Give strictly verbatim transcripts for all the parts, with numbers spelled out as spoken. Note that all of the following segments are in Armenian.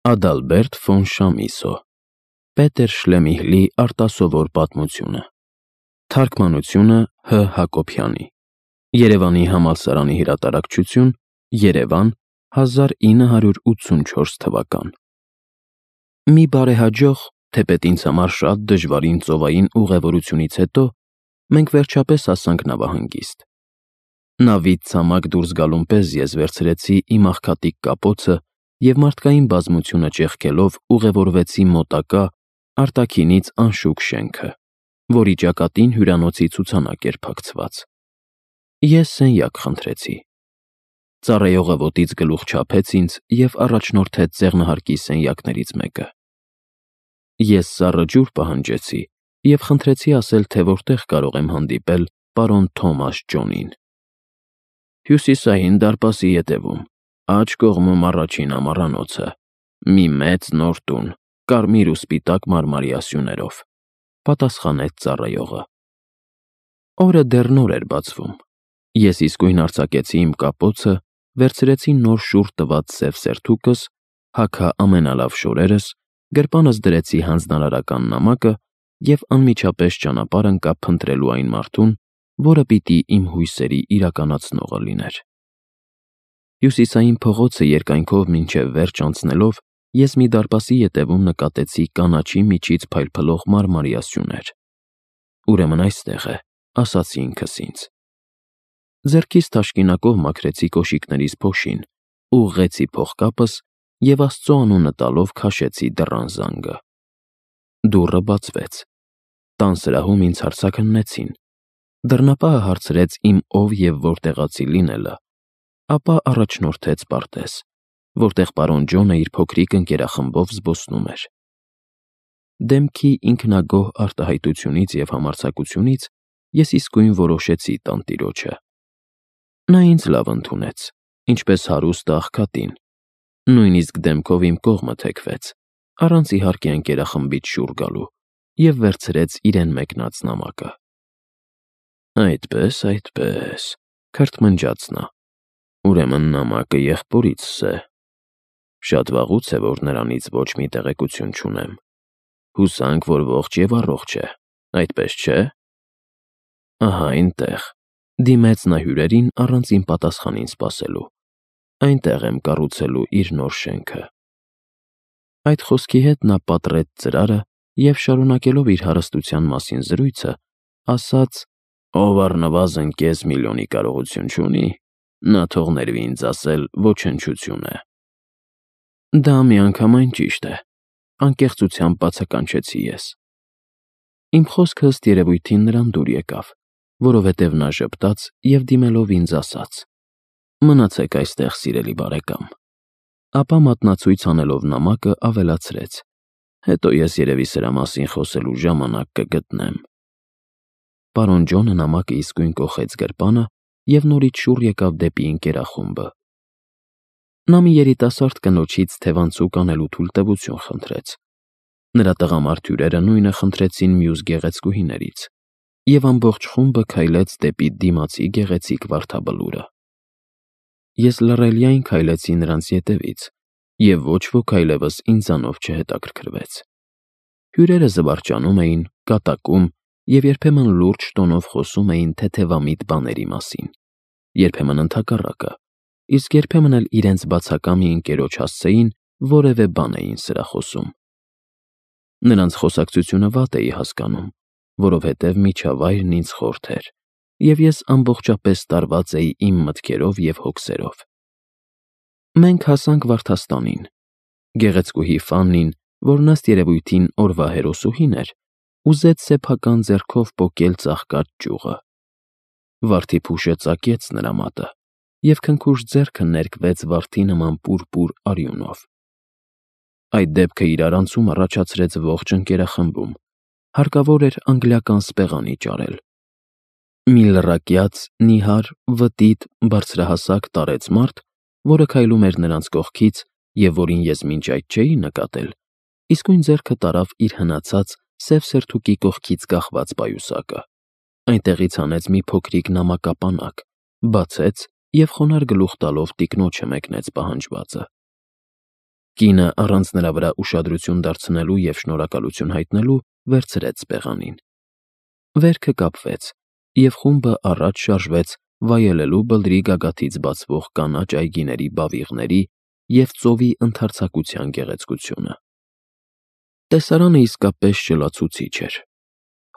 Ադալբերտ ֆոն Շամիսո Պետեր Շլեմիհլի արտասովոր պատմությունը Թարգմանությունը Հ. Հակոբյանի Երևանի համալսարանի հրատարակչություն Երևան հազար ինը հարյուր ութսունչորս թվական Մի բարեհաջող, թեպետ ինձ համար շատ դժվարին ծովային ուղևորությունից հետո մենք վերջապես հասանք նավահանգիստ։ Նավից ցամաք դուրս գալուն պես ես վերցրեցի իմ աղքատիկ կապոցը և մարդկային բազմությունը ճեղքելով ուղևորվեցի մոտակա, արտաքինից անշուք շենքը, որի ճակատին հյուրանոցի ցուցանակ էր փակցված։ Ես սենյակ խնդրեցի։ Ծառայողը ոտից գլուխ չափեց ինձ և առաջնորդեց ձեղնահարկի սենյակներից մեկը։ Ես սառը ջուր պահանջեցի և խնդրեցի ասել, թե որտեղ կարող եմ հանդիպել պարոն Թոմաս Ջոնին։ Հյուսիսային դարպասի ետևում, աջ կողմում առաջին ամառանոցը, մի մեծ նոր տուն, կարմիր ու սպիտակ մարմարյա սյուներով, պատասխանեց ծառայողը։ Օրը դեռ նոր էր բացվում։ Ես իսկույն արձակեցի իմ կապոցը, վերցրեցի նոր շուրջ տված սև սերթուկս, հագա ամենալավ շորերս, գրպանս դրեցի հանձնարարական նամակը և անմիջապես ճանապարհ ընկա փնտրելու այն մարդուն, որը պիտի իմ հույսերի իրականացնողը լիներ։ Հյուսիսային փողոցը երկայնքով մինչև վերջ անցնելով, ես մի դարպասի ետևում նկատեցի կանաչի միջից փայլփլող մարմարյա սյուներ։ Ուրեմն այստեղ է, ասացի ինքս ինձ։ Ձեռքիս թաշկինակով մաքրեցի կոշիկներիս փոշին, ուղղեցի փողկապս և Աստծո անունը տալով քաշեցի դռան զանգը։ Դուռը բացվեց։ Տան սրահում ինձ հարցաքննեցին։ Դռնապահը հարցրեց իմ ով և որտեղացի լինելը, ապա առաջնորդեց պարտեզ, որտեղ պարոն Ջոնը իր փոքրիկ ընկերախմբով զբոսնում էր։ Դեմքի ինքնագոհ արտահայտությունից և համարձակությունից ես իսկույն որոշեցի տանտիրոջը։ Նա ինձ լավ ընդունեց, ինչպես հարուստ աղքատին, նույնիսկ դեմքով իմ կողմը թեքվեց, առանց իհարկե ընկերախմբից շուռ գալու, և վերցրեց իրեն մեկնած նամակը։ Այդպես, այդպես, քրթմնջաց նա, ուրեմն նամակը եղբորիցս է։ Շատ վաղուց է, որ նրանից ոչ մի տեղեկություն չունեմ։ Հուսանք, որ ողջ և առողջ է, այդպես չէ։ Ահա այնտեղ, դիմեց նա հյուրերին առանց իմ պատասխանին սպասելու, այնտեղ եմ կառուցելու իր նոր շենքը։ Այդ խոսքի հետ նա պատռեց ծրարը և, շարունակելով իր հարստության մասին զրույցը, ասաց. «Ով առնվազն կես միլիոնի կարողություն չունի, նա թող ներվի ինձ ասել ոչնչություն է»։ Դա միանգամայն ճիշտ է, անկեղծությամբ բացականչեցի ես։ Իմ խոսքը ըստ երևույթին նրան դուր եկավ, որովհետև նա ժպտաց և դիմելով ինձ ասաց. «Մնացեք այստեղ, սիրելի բարեկամ»։ Ապա մատնացույց անելով նամակը ավելացրեց. «Հետո ես երևի սրա մասին խոսելու ժամանակ կգտնեմ»։ Պարոն Ջոնը նամակը իսկույն կոխեց գրպանը և նորից շուռ եկավ դեպի ընկերախումբը։ Նա մի երիտասարդ կնոջից թևանցուկ անելու թույլտվություն խնդրեց։ Նրա տղամարդ հյուրերը նույնը խնդրեցին մյուս գեղեցկուհիներից, և ամբողջ խումբը քայլեց դեպի դիմացի գեղեցիկ վարդաբլուրը։ Ես լռելիայն քայլեցի նրանց ետևից, և ոչ ոք այլևս ինձանով չհետաքրքրվեց։ Հյուրերը զվարճանում էին, կատակում և երբեմն լուրջ տոնով խոսում էին թեթևամիտ բաների մասին, երբեմն ընդհակառակը, իսկ երբեմն էլ իրենց բացակա մի ընկերոջ հասցեին որևէ բան էին սրախոսում։ Նրանց խոսակցությունը վատ էի հասկանում, որովհետև միջավայրն ինձ խորթ էր, և ես ամբողջապես տարված էի իմ մտքերով և հոգսերով։ Մենք հասանք վարդաստանին։ Գեղեցկուհի Ֆաննին, որն ըստ երևույթին օրվա հերոսուհին էր, ուզեց սեփական ձեռքով պոկել ծաղկած ճյուղը։ Վարդի փուշը ծակեց նրա մատը, և քնքուշ ձեռքը ներկվեց վարդի նման պուրպուր արյունով։ Այդ դեպքը իրարանցում առաջացրեց ողջ ընկերախմբում, հարկավոր էր անգլիական սպեղանի ճարել։ Մի լռակյաց, նիհար, վտիտ, բարձրահասակ տարեց մարդ, որը քայլում էր նրանց կողքից և որին ես մինչ այդ չէի նկատել, իսկույն ձեռքը տարավ իր հնացած սև սերթուկի կողքից կախված պայուսակը, այնտեղից հանեց մի փոքրիկ նամակապանակ, բացեց և խոնարհ գլուխ տալով տիկնոջը մեկնեց պահանջվածը։ Կինը առանց նրա վրա ուշադրություն դարձնելու և շնորհակալություն հայտնելու վերցրեց սպեղանին։ Վերքը կապվեց, և խումբը առաջ շարժվեց վայելելու բլրի գագաթից բացվող կանաչ այգիների բավիղների և ծովի ընդարձակության գեղեցկությունը։ Տեսարանը իսկապես շլացուցիչ էր։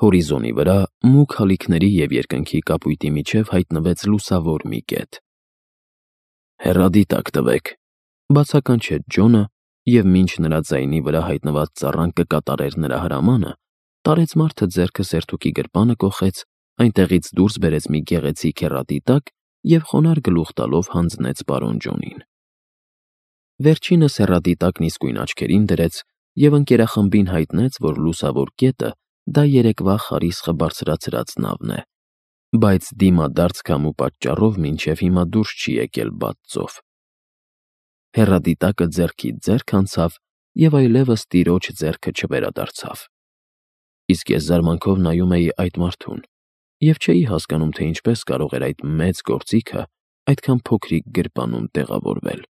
Հորիզոնի վրա մուգ հալիքների և երկնքի կապույտի միջև հայտնվեց լուսավոր մի կետ։ «Հեռադիտակ տվեք», բացականչեց Ջոնը, և մինչ նրա ձայնի վրա հայտնված ծառան կկատարեր նրա հրամանը, տարեց մարդը ձեռքը սերթուկի գրպանը կոխեց, այնտեղից դուրս բերեց մի գեղեցիկ հեռադիտակ և խոնարհ գլուխ տալով հանձնեց պարոն Ջոնին։ Վերջինս հեռադիտակն իսկույն աչքերին դրեց և ընկերախմբին հայտնեց, որ լուսավոր կետը դա երեկվա խարիսխը բարձրացրած նավն է, բայց դիմադարձ քամու պատճառով մինչև հիմա դուրս չի եկել բաց ծով։ Հեռադիտակը ձեռքից ձեռք անցավ և այլևս տիրոջ ձեռքը չվերադարձավ։ Իսկ ես զարմանքով նայում էի այդ մարդուն և չէի հասկանում, թե ինչպես կարող էր այդ մեծ գործիքը այդքան փոքրիկ գրպանում տեղավորվել։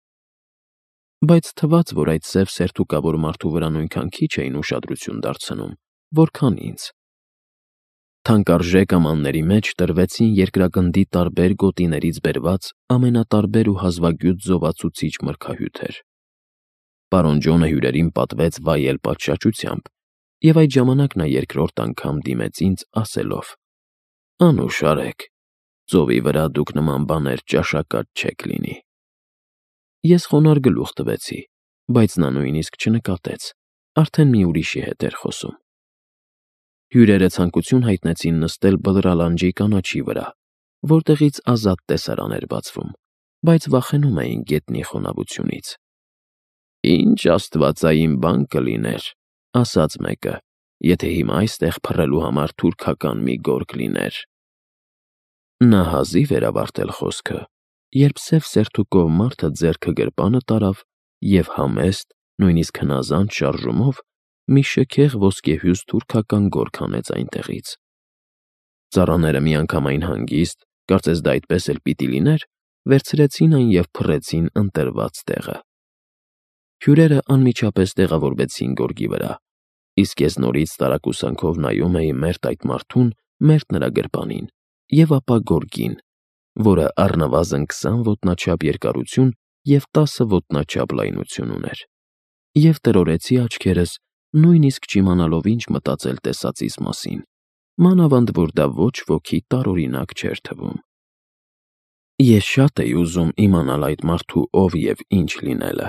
Բայց թվաց, որ այդ սև սերթուկավոր մարդու վրա նույնքան քիչ էին ուշադրություն դարձնում, որքան ինձ։ Թանկարժեք ամանների մեջ տրվեցին երկրագնդի տարբեր գոտիներից բերված ամենատարբեր ու հազվագյուտ զովացուցիչ մրգահյութեր։ Պարոն Ջոնը հյուրերին պատվեց վայել պատշաճությամբ, և այդ ժամանակ նա երկրորդ անգամ դիմեց ինձ, ասելով. «Անուշ արեք, ծովի վրա դուք նման բաներ ճաշակած չեք լինի»։ Ես խոնարհ գլուխ տվեցի, բայց նա նույնիսկ չնկատեց, արդեն մի ուրիշի հետ էր խոսում։ Հյուրերը ցանկություն հայտնեցին նստել բլրալանջի կանաչի վրա, որտեղից ազատ տեսարան էր բացվում, բայց վախենում էին գետնի խոնավությունից։ «Ինչ աստվածային բան կլիներ», ասաց մեկը, «եթե հիմա այստեղ փռելու համար թուրքական մի գորգ լիներ»։ Նա հազիվ էր ավարտել խոսքը, երբ սև սերթուկով մարդը ձեռքը գրպանը տարավ և համեստ, նույնիսկ հնազանդ շարժումով մի շքեղ ոսկեհյուս թուրքական գորգ հանեց այնտեղից։ Ծառաները միանգամայն հանգիստ, կարծես դա այդպես էլ պիտի լիներ, վերցրեցին այն և փռեցին ընտրված տեղը։ Հյուրերը անմիջապես տեղավորվեցին գորգի վրա, իսկ ես նորից տարակուսանքով նայում էի մերթ այդ մարդուն, մերթ նրա գրպանին, և ապա գորգին, որը առնվազն քսան ոտնաչափ երկարություն և տասը ոտնաչափ լայնություն ուներ, և տրորեցի աչքերս, նույնիսկ չիմանալով ինչ մտածել տեսածիս մասին, մանավանդ որ դա ոչ ոքի տարօրինակ չէր թվում։ Ես շատ էի ուզում իմանալ այդ մարդու ով և ինչ լինելը,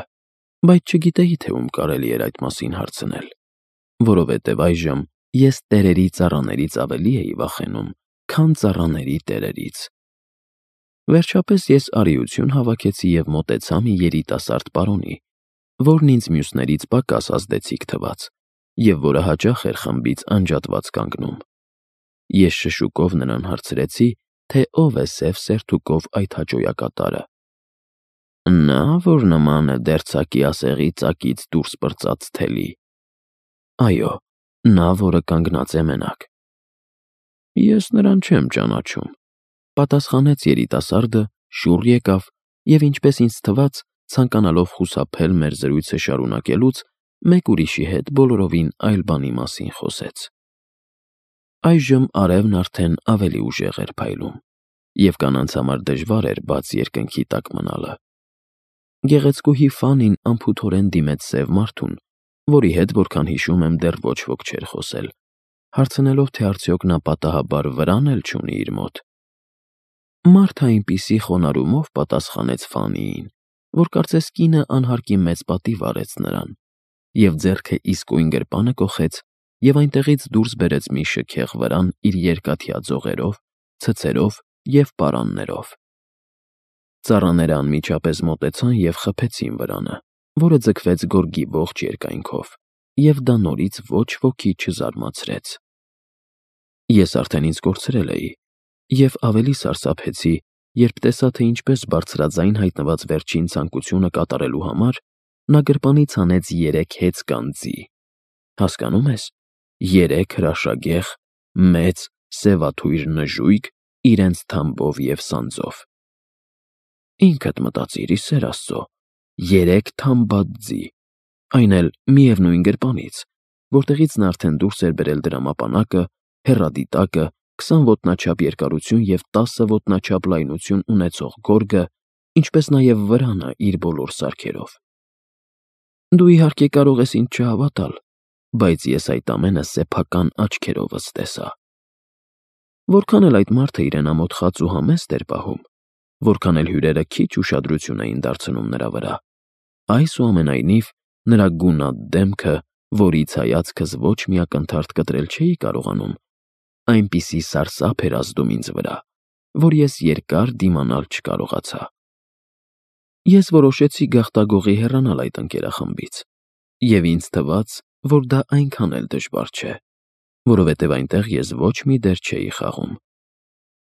բայց չգիտեի, թե ում կարելի էր այդ մասին հարցնել, որովհետև այժմ ես տերերի ծառաներից ավելի էի վախենում, քան ծառաների տերերից։ Վերջապես ես արիություն հավաքեցի և մոտեցա մի երիտասարդ պարոնի, որն ինձ մյուսներից պակաս ազդեցիկ թվաց և որը հաճախ էր խմբից անջատված կանգնում։ Ես շշուկով նրան հարցրեցի, թե ով է սև սերթուկով այդ հաճոյակատարը։ «Նա, որ նման է դերձակի ասեղի ծակից դուրս պրծած թելի»։ «Այո, նա, որը կանգնած է մենակ»։ «Ես նրան չեմ ճանաչում», պատասխանեց երիտասարդը, շուռ եկավ և, ինչպես ինձ թվաց, ցանկանալով խուսափել մեր զրույցը շարունակելուց, մեկ ուրիշի հետ բոլորովին այլ բանի մասին խոսեց։ Այժմ արևն արդեն ավելի ուժեղ էր փայլում, և կանանց համար դժվար էր բաց երկնքի տակ մնալը։ Գեղեցկուհի Ֆանին անփութորեն դիմեց սև մարդուն, որի հետ, որքան հիշում եմ, դեռ ոչ ոք չէր խոսել, հարցնելով, թե արդյոք նա պատահաբար վրան էլ չունի իր մոտ։ Մարդը այնպիսի խոնարհումով պատասխանեց Ֆանիին, որ կարծես կինը անհարկի մեծ պատիվ արեց նրան, և ձեռքը իսկույն գրպանը կոխեց և այնտեղից դուրս բերեց մի շքեղ վրան իր երկաթյա ձողերով, ցցերով և պարաններով։ Ծառաները անմիջապես մոտեցան և խփեցին վրանը, որը ձգվեց գորգի ողջ երկայնքով, և դա նորից ոչ ոքի չզարմացրեց։ Ես արդեն ինձ կորցրել էի և ավելի սարսափեցի, երբ տեսա, թե ինչպես բարձրաձայն հայտնված վերջին ցանկությունը կատարելու համար նա գրպանից հանեց երեք հեծկան ձի։ Հասկանո՞ւմ ես, երեք հրաշագեղ, մեծ, սևաթույր նժույգ իրենց թամբով և սանձով։ Ինքդ մտածիր, ի սեր Աստծո, երեք թամբած ձի, այն էլ միևնույն գրպանից, որտեղից նա արդեն դուրս էր բերել դրամապանակը, հեռադիտակը, քսան ոտնաչափ երկարություն և տասը ոտնաչափ լայնություն ունեցող գորգը, ինչպես նաև վրանը իր բոլոր սարքերով։ Դու իհարկե կարող ես ինձ չհավատալ, բայց ես այդ ամենը սեփական աչքերովս տեսա։ Որքան էլ այդ մարդը իրեն ամոթ խած ու համեստ էր պահում, որքան էլ հյուրերը քիչ ուշադրություն էին դարձնում նրա վրա, այսուամենայնիվ նրա գունատ դեմքը, որից հայացքս ոչ մի ակնթարթ կտրել չէի կարողանում, այնպիսի սարսափ էր ազդում ինձ վրա, որ ես երկար դիմանալ չկարողացա։ Ես որոշեցի գաղտագողի հեռանալ այդ ընկերախմբից, և ինձ թվաց, որ դա այնքան էլ դժվար չէ, որովհետև այնտեղ ես ոչ մի դեր չէի խաղում։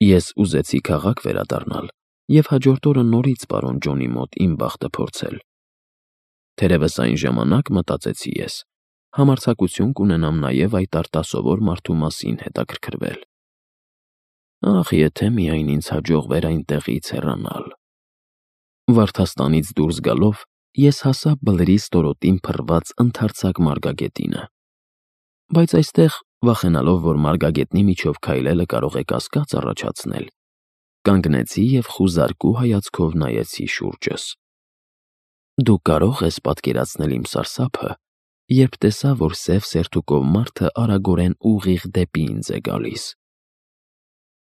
Ես ուզեցի քաղաք վերադառնալ և հաջորդ օրը նորից պարոն Ջոնի մոտ իմ բախտը փորձել։ Թերևս այն ժամանակ, մտածեցի ես, համարձակություն կունենամ նաև այդ արտասովոր մարդու մասին հետաքրքրվել։ Ախ, եթե միայն ինձ հաջողվեր այնտեղից հեռանալ։ Վարդաստանից դուրս գալով ես հասա բլրի ստորոտին փռված ընդարձակ մարգագետինը։ Բայց այստեղ, վախենալով, որ մարգագետնի միջով քայլելը կարող է կասկած առաջացնել, կանգնեցի և խուզարկու հայացքով նայեցի շուրջս։ Դու կարող ես պատկերացնել իմ սարսափը, երբ տեսա, որ սև սերթուկով մարդը արագորեն ուղիղ դեպի ինձ է գալիս։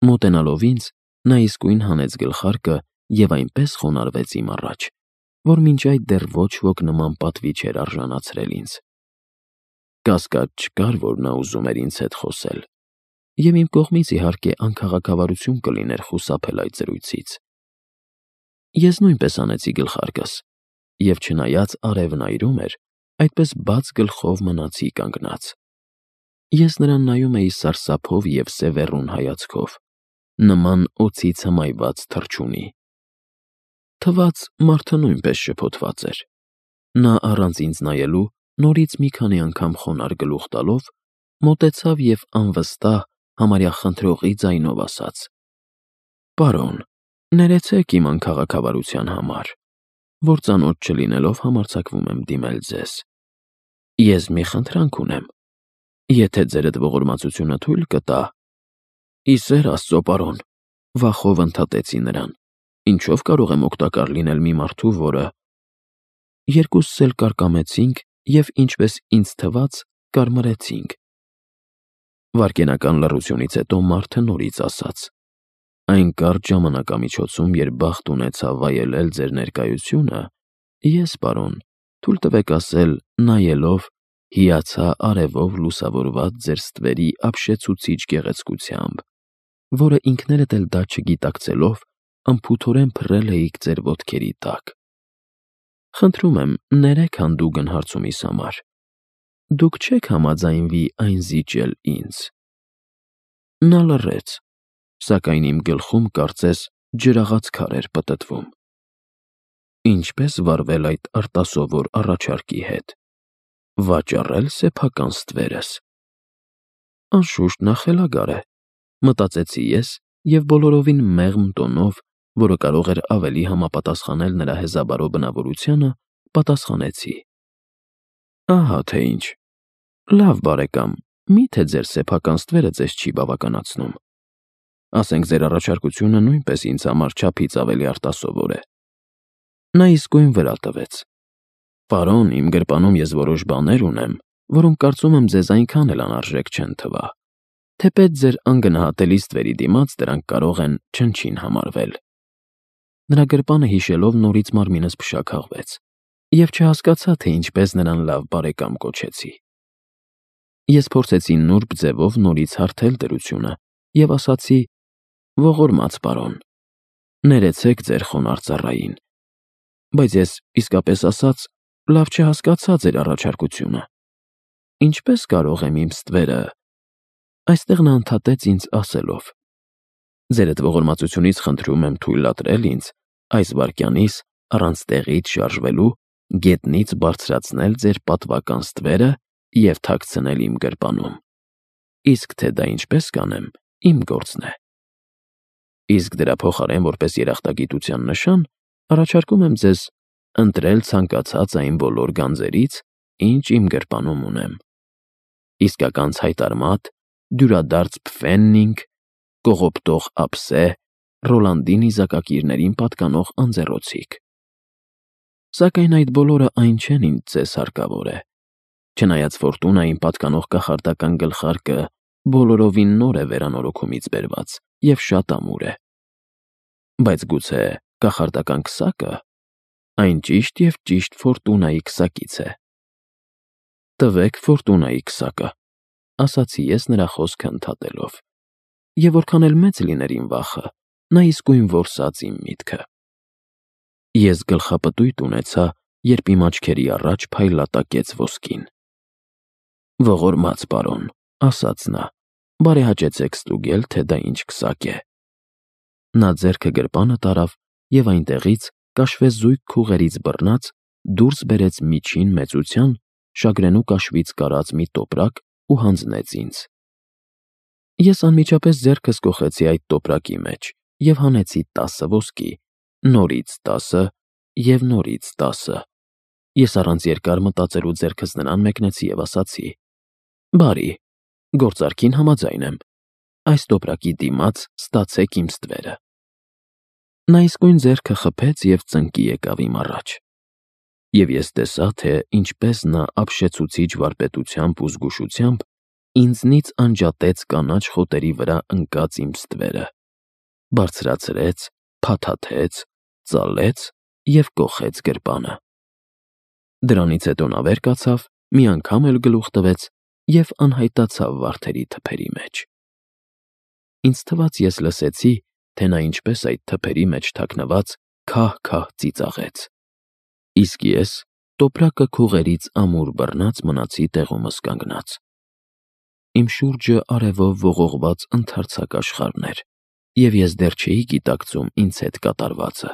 Մոտենալով ինձ, նա իսկույն հանեց գլխարկը և այնպես խոնարհվեց իմ առաջ, որ մինչ այդ դեռ ոչ ոք նման պատվի չէր արժանացրել ինձ։ Կասկած չկար, որ նա ուզում էր ինձ հետ խոսել, և իմ կողմից, իհարկե, անքաղաքավարություն կլիներ խուսափել այդ զրույցից։ Ես նույնպես հանեցի գլխարկս, և չնայած արևն այրում էր, այդպես բաց գլխով մնացի կանգնած։ Ես նրան նայում էի սարսափով և սևեռուն հայացքով, նման օձից հմայված թռչունի։ Թվաց, մարդը նույնպես շփոթված էր։ Նա առանց ինձ նայելու նորից մի քանի անգամ խոնարհ գլուխ տալով, մոտեցավ և անվստահ, համարյա խնդրողի ձայնով ասաց. «Պարոն, ներեցեք իմ անքաղաքավարության համար, որ ծանոթ չլինելով համարձակվում եմ դիմել ձեզ։ Ես մի խնդրանք ունեմ, եթե ձերդ ողորմածությունը թույլ կտա»։ «Ի սեր Աստծո, պարոն», վախով ընդհատեցի նրան, «ինչով կարող եմ օգտակար լինել մի մարդու, որը…» Երկուսս էլ կարկամեցինք և, ինչպես ինձ թվաց, կարմրեցինք։ Վայրկենական լռությունից հետո մարդը նորից ասաց. «Այն կարճ ժամանակամիջոցում, երբ բախտ ունեցա վայելել ձեր ներկայությունը, ես, պարոն, թույլ տվեք ասել, նայելով, հիացա արևով լուսավորված ձեր ստվերի ապշեցուցիչ գեղեցկությամբ, որը ինքներդ էլ դա չգիտակցելով, անփութորեն փռել էիք ձեր ոտքերի տակ։ Խնդրում եմ, ներեք հանդուգն հարցումիս համար. դուք չե՞ք համաձայնվի այն զիջել ինձ»։ Նա լռեց, սակայն իմ գլխում, կարծես, ջրաղաց քար էր պտտվում։ Ինչպե՞ս վարվել այդ արտասովոր առաջարկի հետ։ Վաճառե՞լ սեփական ստվերս։ Անշուշտ նա խելագար է, մտածեցի ես և բոլորովին մեղմ տոնով, որը կարող էր ավելի համապատասխանել նրա հեզաբարո բնավորությանը, պատասխանեցի. «Ահա թե ինչ։ Լավ, բարեկամ, մի՞թե ձեր սեփական ստվերը ձեզ չի բավականացնում։ Ասենք ձեր առաջարկությունը նույնպես ինձ համար չափից ավելի արտասովոր է»։ Նա իսկույն վրա տվեց. «Պարոն, իմ գրպանում ես որոշ բաներ ունեմ, որոնք կարծում եմ ձեզ այնքան էլ անարժեք չեն թվա, թեպետ ձեր անգնահատելի ստվերի դիմաց դրանք կարող են չնչին համարվել»։ Նրա գրպանը հիշելով նորից մարմինս փշաքաղվեց, և չհասկացա, թե ինչպես նրան լավ բարեկամ կոչեցի։ Ես փորձեցի նուրբ ձևով նորից հարթել դրությունը և ասացի. «Ողորմած պարոն, ներեցեք ձեր խոնարհ ծառային, բայց ես, իսկապես ասած, լավ չհասկացա ձեր առաջարկությունը։ Ինչպե՞ս կարող եմ իմ ստվերը…» Այստեղ նա ընդհատեց ինձ ասելով. «Ձերդ ողորմածությունից խնդրում եմ թույլատրել ինձ այս վայրկյանից, առանց տեղից շարժվելու, գետնից բարձրացնել ձեր պատվական ստվերը և թաքցնել իմ գրպանում։ Իսկ թե դա ինչպես կանեմ, իմ գործն է։ Իսկ դրա փոխարեն, որպես երախտագիտության նշան, առաջարկում եմ ձեզ ընտրել ցանկացած այն բոլոր գանձերից, ինչ իմ գրպանում ունեմ։ Իսկական ցայտարմատ, դյուրադարձ փֆեննինգ, կողոպտող ափսե, Ռոլանդի նիզակակիրներին պատկանող անձեռոցիկ։ Սակայն այդ բոլորը այն չեն, ինչ ձեզ հարկավոր է։ Չնայած ֆորտունային պատկանող կախարդական գլխարկը բոլորովին նոր է վերանորոգումից բերված և շատ ամուր է։ Բայց գուցե կախարդական քսակը, այն ճիշտ և ճիշտ ֆորտունայի քսակից է։ Տվեք ֆորտունայի քսակը, ասացի ես նրա խոսքը ընդհատելով, և որքան էլ մեծ լիներ իմ վախը, նա իսկույն որսաց իմ միտքը։ Ես գլխապտույտ ունեցա, երբ իմ աչքերի առաջ փայլատակեց ոսկին։ «Ողորմած պարոն», ասաց նա, «բարեհաճեցեք ստուգել, թե դա ինչ քսակ է»։ Նա ձեռքը գրպանը տարավ և այնտեղից, կաշվեզույգ քուղերից բռնած, դուրս բերեց միջին մեծության, շագրենու կաշվից կարած մի տոպրակ ու հանձնեց ինձ։ Ես անմիջապես ձեռքս կոխեցի այդ տոպրակի մեջ և հանեցի տասը ոսկի, նորից տասը և նորից տասը։ Ես առանց երկար մտածելու ձեռքս նրան մեկնեցի և ասացի. «Բարի, գործարքին համաձայն եմ, այս տոպրակի դիմաց ստացեք իմ ստվերը»։ Նա իսկույն ձեռքը խփեց և ծնկի եկավ իմ առաջ։ Եվ ես տեսա, թե ինչպես նա ապշեցուցիչ վարպետությամբ ու զգուշությամբ ինձնից անջատեց կանաչ խոտերի վրա ընկած իմ ստվերը, բարձրացրեց, փաթաթեց, ծալեց և կոխեց գրպանը։ Դրանից հետո նա վեր կացավ, մի անգամ էլ գլուխ տվեց և անհայտացավ վարդերի թփերի մեջ։ Ինձ թվաց, ես լսեցի, թե նա ինչպես այդ թփերի մեջ թաքնված քահ-քահ ծիծաղեց։ Իսկ ես տոպրակը քուղերից ամուր բռնած մնացի տեղումս կանգնած։ Իմ շուրջը արևով ողողված ընդարձակ աշխարհն էր, և ես դեռ չէի գիտակցում ինձ հետ կատարվածը։